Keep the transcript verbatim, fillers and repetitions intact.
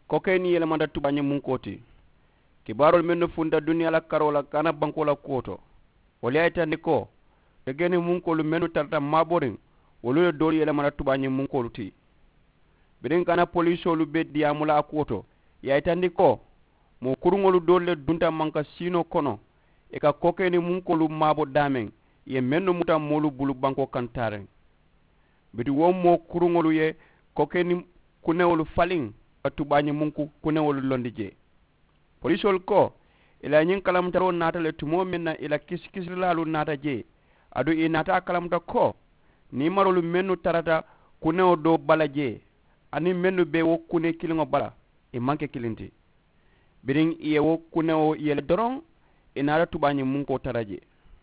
Kokeeni yelemata tubaañi munkoo ti. Kibaaroolu mennu funta duniyaa la karoo la gaana bankoo la kuwo to, wolu ye a yitandi ko kokeeni munkoolu mennu tarata maaboriŋ, wolu le doolu yelemata tubaañi munkoolu ti. Biriŋ gaana poliisoolu be diyaamu la a kuwo to, ì ye a yitandi ko moo kuruŋolu doolu le dunta manka siinoo kono, ì ka kokeeni munkoolu maabo daameŋ, ì ye mennu muta moolu bulu bankoo kaŋ taariŋ. Bituŋ wo moo kuruŋolu ye kokeeni kunewolu faliŋ ka tubaañi munku kunewolu londi jee. Poliisoolu ko ì la ñiŋ kalamutaroo naata le tumoo meŋ na ì la kisikisirilaalu naata jee, aduŋ ì naata a kalamuta ko niimaroolu mennu tarata kunewo doo bala jee aniŋ mennu be wo kune kiliŋo bala, ì maŋ ke kiliŋ ti. Biriŋ ì ye wo kunewo yele doroŋ, ì naata tubaañi munkoo tara jee.